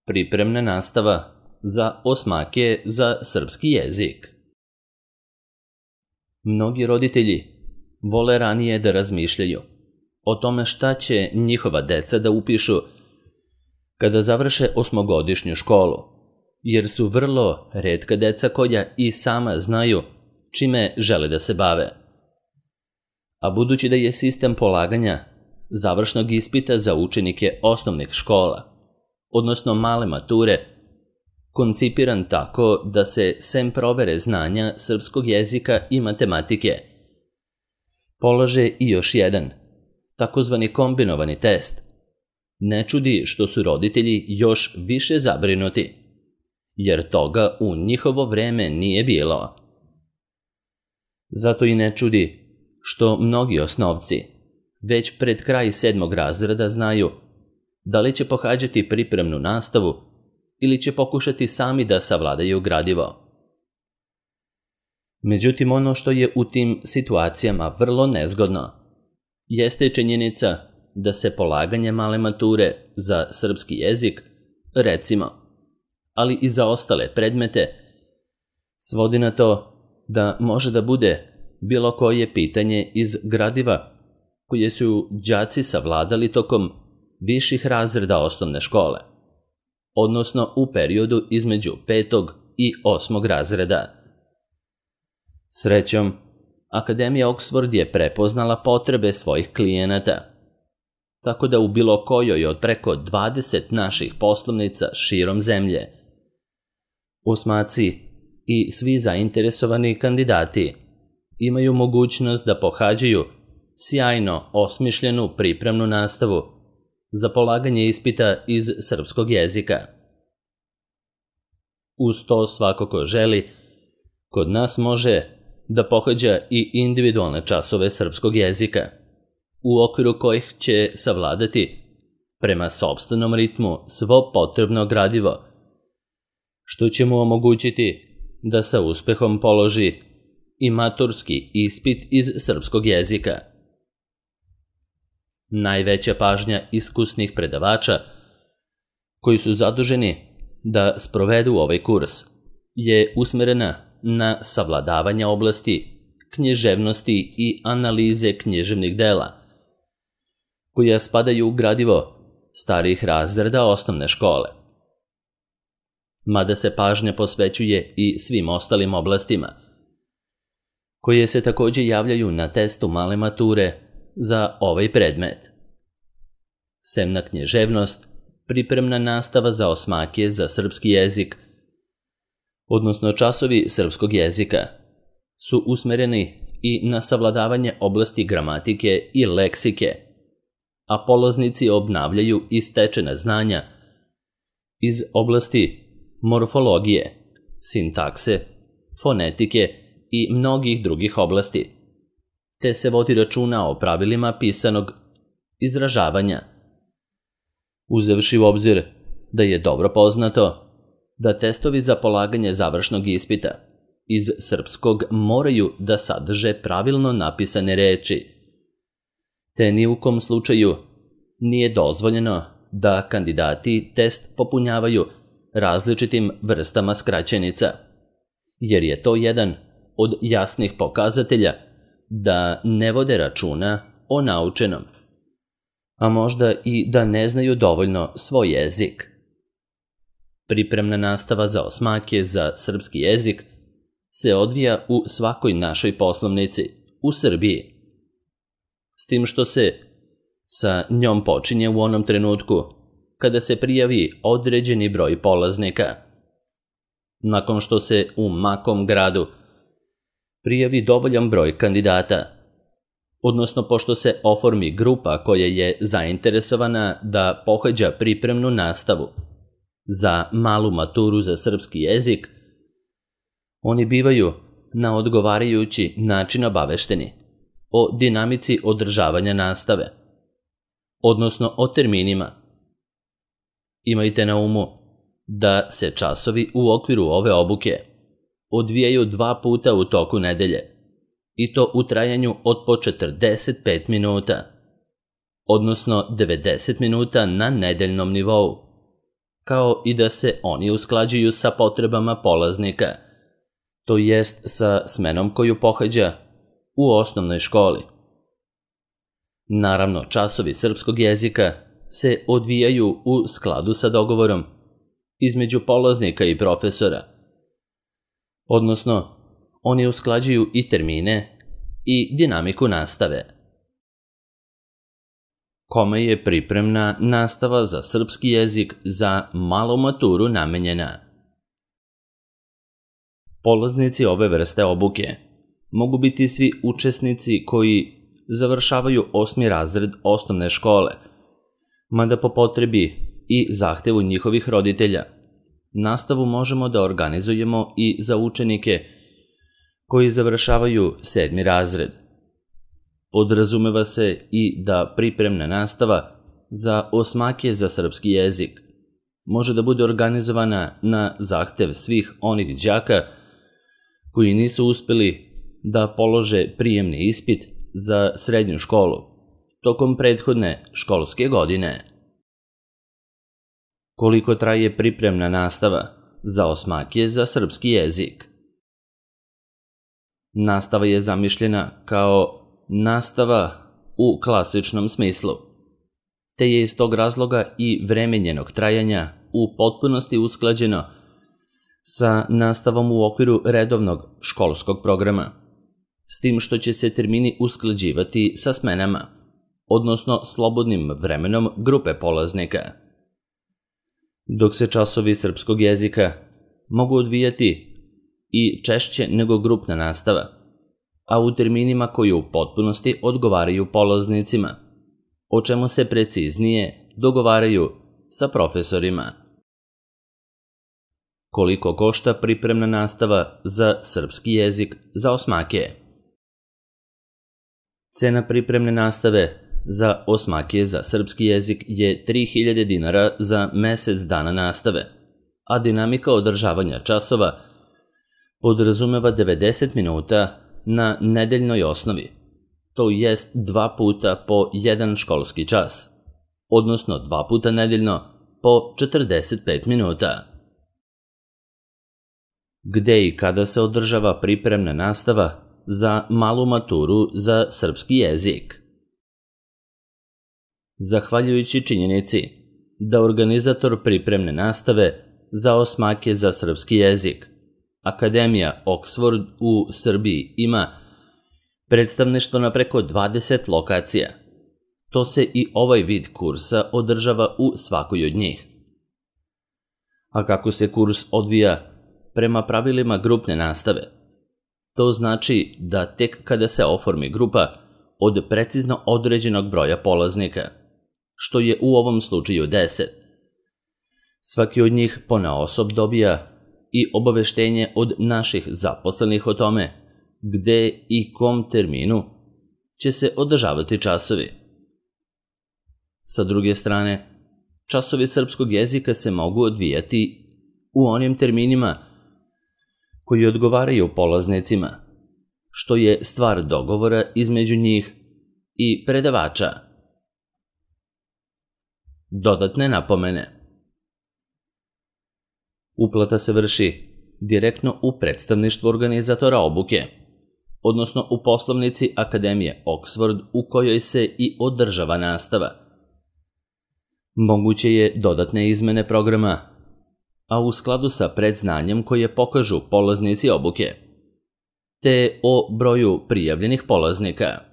Pripremna nastava za osmake za srpski jezik. Mnogi roditelji vole ranije da razmišljaju o tome šta će njihova deca da upišu kada završe osmogodišnju školu, jer su vrlo retka deca koja i sama znaju čime žele da se bave. A budući da je sistem polaganja završnog ispita za učenike osnovnih škola, odnosno male mature, koncipiran tako da se sem provere znanja srpskog jezika i matematike polaže i još jedan, takozvani kombinovani test, ne čudi što su roditelji još više zabrinuti, jer toga u njihovo vreme nije bilo. Zato i ne čudi što mnogi osnovci već pred kraj 7. razreda znaju da li će pohađati pripremnu nastavu ili će pokušati sami da savladaju gradivo. Međutim, ono što je u tim situacijama vrlo nezgodno jeste činjenica da se polaganje male mature za srpski jezik, recimo, ali i za ostale predmete, svodi na to da može da bude bilo koje pitanje iz gradiva koje su đaci savladali tokom viših razreda osnovne škole, odnosno u periodu između 5. i 8. razreda. Srećom, Akademija Oxford je prepoznala potrebe svojih klijenata, tako da u bilo kojoj od preko 20 naših poslovnica širom zemlje osmaci i svi zainteresovani kandidati imaju mogućnost da pohađaju sjajno osmišljenu pripremnu nastavu za polaganje ispita iz srpskog jezika. Uz to svako ko želi, kod nas može da pohađa i individualne časove srpskog jezika, u okviru kojih će savladati prema sopstvenom ritmu svo potrebno gradivo, što će mu omogućiti da sa uspehom položi i maturski ispit iz srpskog jezika. Najveća pažnja iskusnih predavača koji su zaduženi da sprovedu ovaj kurs je usmerena na savladavanje oblasti književnosti i analize književnih dela, koja spadaju u gradivo starijih razreda osnovne škole. Mada se pažnja posvećuje i svim ostalim oblastima, koje se također javljaju na testu male mature za ovaj predmet. Sem na književnost, pripremna nastava za osmake za srpski jezik, odnosno časovi srpskog jezika, su usmereni i na savladavanje oblasti gramatike i leksike, a polaznici obnavljaju i stečena znanja iz oblasti morfologije, sintakse, fonetike i mnogih drugih oblasti, te se vodi računa o pravilima pisanog izražavanja, uzevši u obzir da je dobro poznato da testovi za polaganje završnog ispita iz srpskog moraju da sadrže pravilno napisane reči, te ni u kom slučaju nije dozvoljeno da kandidati test popunjavaju različitim vrstama skraćenica, jer je to jedan od jasnih pokazatelja da ne vode računa o naučenom, a možda i da ne znaju dovoljno svoj jezik. Pripremna nastava za osmake za srpski jezik se odvija u svakoj našoj poslovnici u Srbiji, s tim što se sa njom počinje u onom trenutku kada se prijavi određeni broj polaznika. Nakon što se u makom gradu prijavi dovoljan broj kandidata, odnosno pošto se oformi grupa koja je zainteresovana da pohađa pripremnu nastavu za malu maturu za srpski jezik, oni bivaju na odgovarajući način obavešteni o dinamici održavanja nastave, odnosno o terminima. Imajte na umu da se časovi u okviru ove obuke odvijaju 2 puta u toku nedelje, i to u trajanju od po 45 minuta, odnosno 90 minuta na nedeljnom nivou, kao i da se oni usklađuju sa potrebama polaznika, to jest sa smenom koju pohađa u osnovnoj školi. Naravno, časovi srpskog jezika se odvijaju u skladu sa dogovorom između polaznika i profesora, odnosno oni usklađuju i termine i dinamiku nastave. Kome je pripremna nastava za srpski jezik za malu maturu namenjena? Polaznici ove vrste obuke mogu biti svi učesnici koji završavaju 8. razred osnovne škole, mada po potrebi i zahtevu njihovih roditelja, nastavu možemo da organizujemo i za učenike koji završavaju 7. razred. Podrazumeva se i da pripremna nastava za osmake za srpski jezik može da bude organizovana na zahtev svih onih đaka koji nisu uspeli da polože prijemni ispit za srednju školu tokom prethodne školske godine. Koliko traje pripremna nastava za osmake za srpski jezik? Nastava je zamišljena kao nastava u klasičnom smislu, te je iz tog razloga i vreme njenog trajanja u potpunosti usklađeno sa nastavom u okviru redovnog školskog programa, s tim što će se termini usklađivati sa smenama, odnosno slobodnim vremenom grupe polaznika. Dok se časovi srpskog jezika mogu odvijati i češće nego grupna nastava, a u terminima koji u potpunosti odgovaraju polaznicima, o čemu se preciznije dogovaraju sa profesorima. Koliko košta pripremna nastava za srpski jezik za osmake? Cena pripremne nastave za osmake za srpski jezik je 3000 dinara za mesec dana nastave, a dinamika održavanja časova podrazumeva 90 minuta na nedeljnoj osnovi, to jest 2 puta po 1 školski čas, odnosno 2 puta nedeljno po 45 minuta. Gde i kada se održava pripremna nastava za malu maturu za srpski jezik? Zahvaljujući činjenici da organizator pripremne nastave za osmake za srpski jezik, Akademija Oxford u Srbiji, ima predstavništvo na preko 20 lokacija, to se i ovaj vid kursa održava u svakoj od njih. A kako se kurs odvija prema pravilima grupne nastave, to znači da tek kada se oformi grupa od precizno određenog broja polaznika, što je u ovom slučaju 10, svaki od njih ponaosob dobija i obaveštenje od naših zaposlenih o tome gde i kom terminu će se održavati časovi. Sa druge strane, časovi srpskog jezika se mogu odvijati u onim terminima koji odgovaraju polaznicima, što je stvar dogovora između njih i predavača. Dodatne napomene. Uplata se vrši direktno u predstavništvu organizatora obuke, odnosno u poslovnici Akademije Oxford u kojoj se i održava nastava. Moguće je dodatne izmene programa, a u skladu sa predznanjem koje pokažu polaznici obuke, te o broju prijavljenih polaznika.